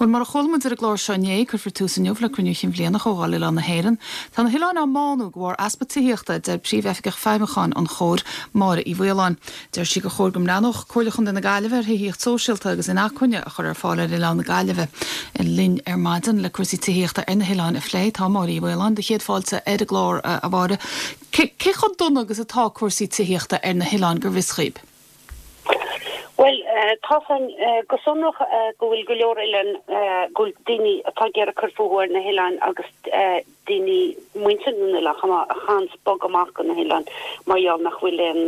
Bhuel, mar a chuala muid ar an gclár seo inné, cuirfear tús inniu le Cruinniú Chinn Bhliana Chomhdháil Oileán na hÉireann. Tá na hoileáin á mbánú de bharr easpa tithíochta, a deir Príomh-Oifigeach Feidhmiúcháin an Chomhair, Máire Uí Mhaoláin. Deir sí gur chóir go mbreathnódh Comhairle Chontae na Gaillimhe ar thithíocht sóisialta agus inacmhainne a chur ar fáil ar oileán na Gaillimhe. Linn ar maidin le cúrsaí tithíochta ar na hoileáin a phlé tá Máire Uí Mhaoláin. Do chéad fáilte ar an gclár, a Mháire. Cé chomh dona agus atá cúrsaí tithíochta ar na hoileáin go bhfios dhaoib? Bhuel, tá a fhios againn go sonrach go bhfuil go leor oileán, go bhfuil daoine atá ag iarraidh cur fúthu ar na hoileáin agus daoine, muintir na n-oileán chomh maith, a chaitheanns bogadh amach go na hoileáin mar gheall nach bhfuil aon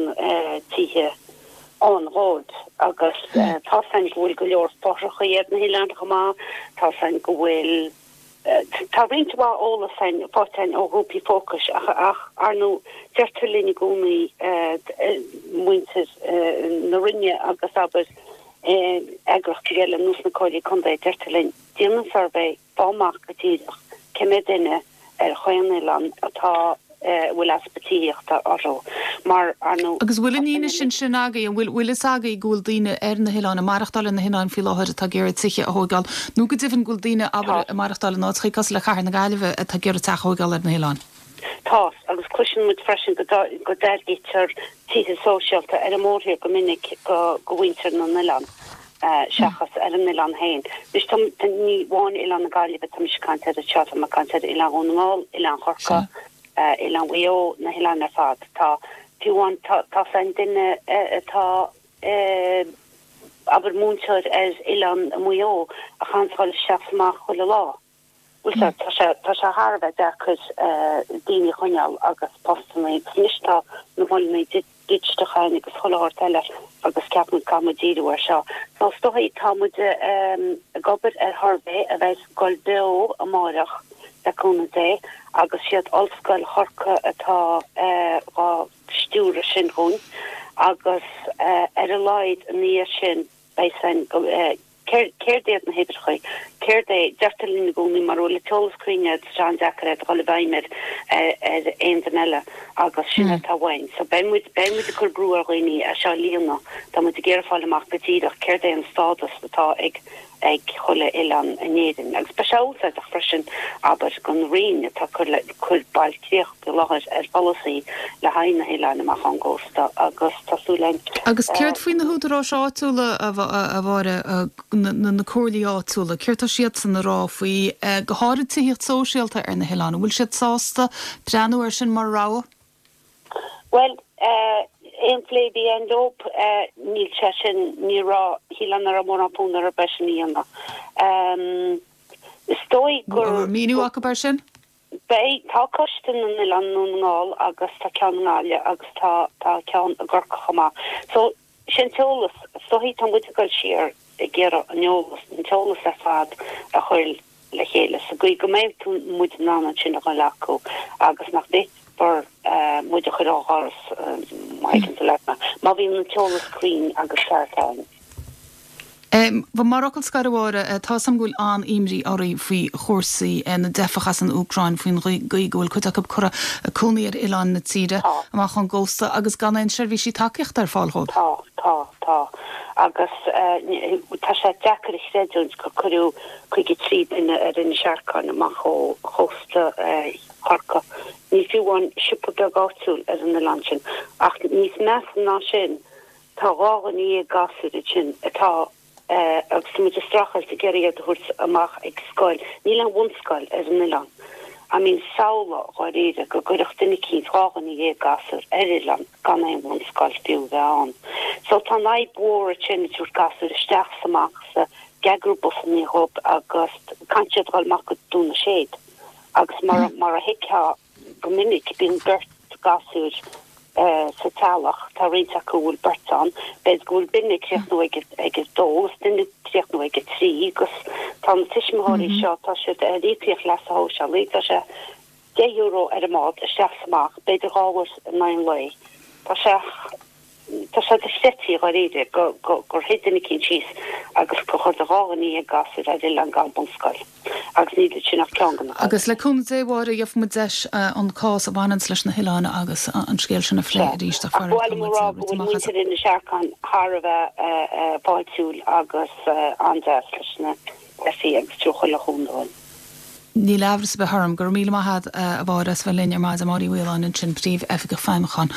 tithe ann dhóibh. Agus tá a fhios againn go bhfuil go leor fothrachaí ar na hoileáin chomh maith, tá a fhios againn go bhfuil. Tá roinnt mhaith eolas againn, faighte againn ó ghrúpaí fócais ach, ar ndóigh, deirtear linn i gcónaí, muintir na Roinne agus, abair, eagraíochtaí eile ar nós na Comhairlí Contae, deirtear linn, déan an suirbhé, faigh amach go díreach cé mhéad duine ar chaon oileán atá, a bhfuil easpa tithíochta orthu, mar, ar ndóigh. Agus bhfuil an fhianaise sin agaibh, an bhfuil bhfuil fhios agaibh go bhfuil daoine ar na hoileáin, ag maireachtáil ar na hoileáin faoi láthair atá ag iarraidh tithe a thóigeáil, nó go deimhin go bhfuil daoine, abair, ag maireachtáil in áiteachaí cosúil le Cathair na Gaillimhe atá ag iarraidh teach a thóigeáil ar na hoileáin? Tá, agus cloiseann muid freisin go go dtairgítear tithe sóisialta ar an mórthír go minic go go mhuintir na n-oileán seachas ar an oileán féin. Anois tá, ní amháin Oileán na Gaillimhe tá mise ag caint air anseo, tá mé ag caint ar Oileán Dhún na nGall, Oileán Chorca, Oileán Mhaigh Eo, na hoileáin ar fad. Tá, fiú amháin, tá, tá 's againn duine atá, abair, múinteoir ar Oileán Mhaigh Eo a chaitheanns a dhul isteach 's amach chuile lá. Bhuel, tá, tá sé, tá sé thar a bheith deacair daoine a choinneáil agus postanna agus anois tá na moilleanna digiteacha ann agus chuile shórt eile agus ceapann muid caithfidh muid díriú air seo. So is dóigh tá muid ag obair ar shuirbhé a bheidh ag dul beo amáireach le cúnamh Dé agus siad Ollscoil Chorcaí atá dhá stiúradh sin dhúinn agus ar a laghad ina dhiaidh sin beidh 's againn go Céard iad na huimhreacha? Céard é? Deirtear linn i gcónaí mura bhfuil an t-eolas cruinn agat tá sé an-deacair é do dhul i bhfeidhm ar ar aon duine eile agus sin atá uainn. So beidh muid beidh muid ag cur brú ar dhaoine é seo a líonadh. Tá muid ag iarraidh fáil amach go díreach céard é an stádas atá ag ag chuile oileán in Éirinn. Agus beidh sé úsáideach freisin, abair, don Roinn atá ag cur le cur bailchríoch faoi láthair ar pholasaí le haghaidh na hoileáin amach ón gcósta agus tá súil againn. Agus céard faoi na húdaráis áitiúla, a Mháire, na comhairlí áitiúla, céard tá siadsan a rá faoi, go háirid tithíocht sóisialta ar na hoileáin, an bhfuil siad sásta breathnú air sin mar rogha? Bhuel, aon phlé a bhí againn leo, níl sé sin, ní raibh, shílfeá nach raibh mórán fonn orthu é sin a dhéanamh. Is dóigh gur. An raibh míniú acu air sin? Beidh. Tá Coiste na nOileán i nDún na nGall agus tá ceann i nGaillimh agus tá tá ceann i gCorcaigh chomh maith. So, sin t-eolas. Is dóichí tá muid ag dul siar ag iarraidh an eolas, an t-eolas ar fad a chur le chéile sa gcaoi go mbeidh tú, muid in ann ansin a dhul acu agus nach bhféadfar muid a chur ó dhoras, má thuigeann tú leat mé, má bhíonn an t-eolas cruinn agus ceart ann. Mar fhocal scoir, a Mháire, tá 'fhios a'm go bhfuil an-imní oraibh faoi chúrsaí na dteifeach as an Úcráin, faoin gcaoi go bhfuil cuid acu curtha ag cónaí ar oileáin na tíre amach ón gcósta agus gan aon seirbhísí tacaíochta ar fáil dhóibh. Tá, tá, tá. Agus tá sé deacair a chreidiúint gur cuireadh 53 duine ar Inis Arcáin amach ó chósta Chorcaí. Níl fiú amháin siopa beag áitiúil ar an oileán sin. Ach níos measa ná sin, Tá 12 gasúr ansin atá agus tá muid ag streachailt ag iarraidh iad a thabhairt amach ag scoil. Níl aon bhunscoil ar an oileán. I mean samhlaigh dháiríre go gcuirfeadh duine eicínt 12 gasúr ar oileán gan aon bhunscoil fiú a bheith ann. So tá an fhadhb mhór ansin ag tabhairt gasúir isteach 's amach 's ag eagrú busannaí dhóibh agus caithfidh siad dhul amach go Dún na Séad agus mar mar a thuigfeá Go minic bíonn beirt gasúr sa teaghlach, tá roinnt acu a bhfuil beirt ann, b'fhéidir go bhfuil duine ag críochnú ag ag a dó agus duine ag críochnú ag a trí agus tá na tuismitheoirí seo, tá siad ar íocaíocht leasa shóisialaigh, tá sé €10 ar an mbád isteach is amach, b'fhéidir dhá uair in aghaidh an lae. Tá sé. Tá sé dochreidte dháiríre gur shuigh duine eicínt síos agus gur chuir 12 gasúr ar oileán gan bunscoil agus níl ansin ach ceann de na Agus le cúnamh Dé, a Mháire, gheobhaidh muid deis an cás a bhaineanns leis na hoileáin agus an scéal sin a phlé arís ach faraor tá muid rite amach as. Muintir Inis Arcáin thar a bheith fáiltiúil agus an-deas leis na teifigh agus. chúnamh uainn. Níl amhras ar bith orm. Go raibh míle maith agat, a Mháire, as bheith linn ar maidin. Máire Uí Mhaoláin ansin, Príomh-Oifigeach Feidhmiúcháin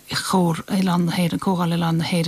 Chomhar Oileáin na hÉireann, Comhdháil Oileáin na hÉireann.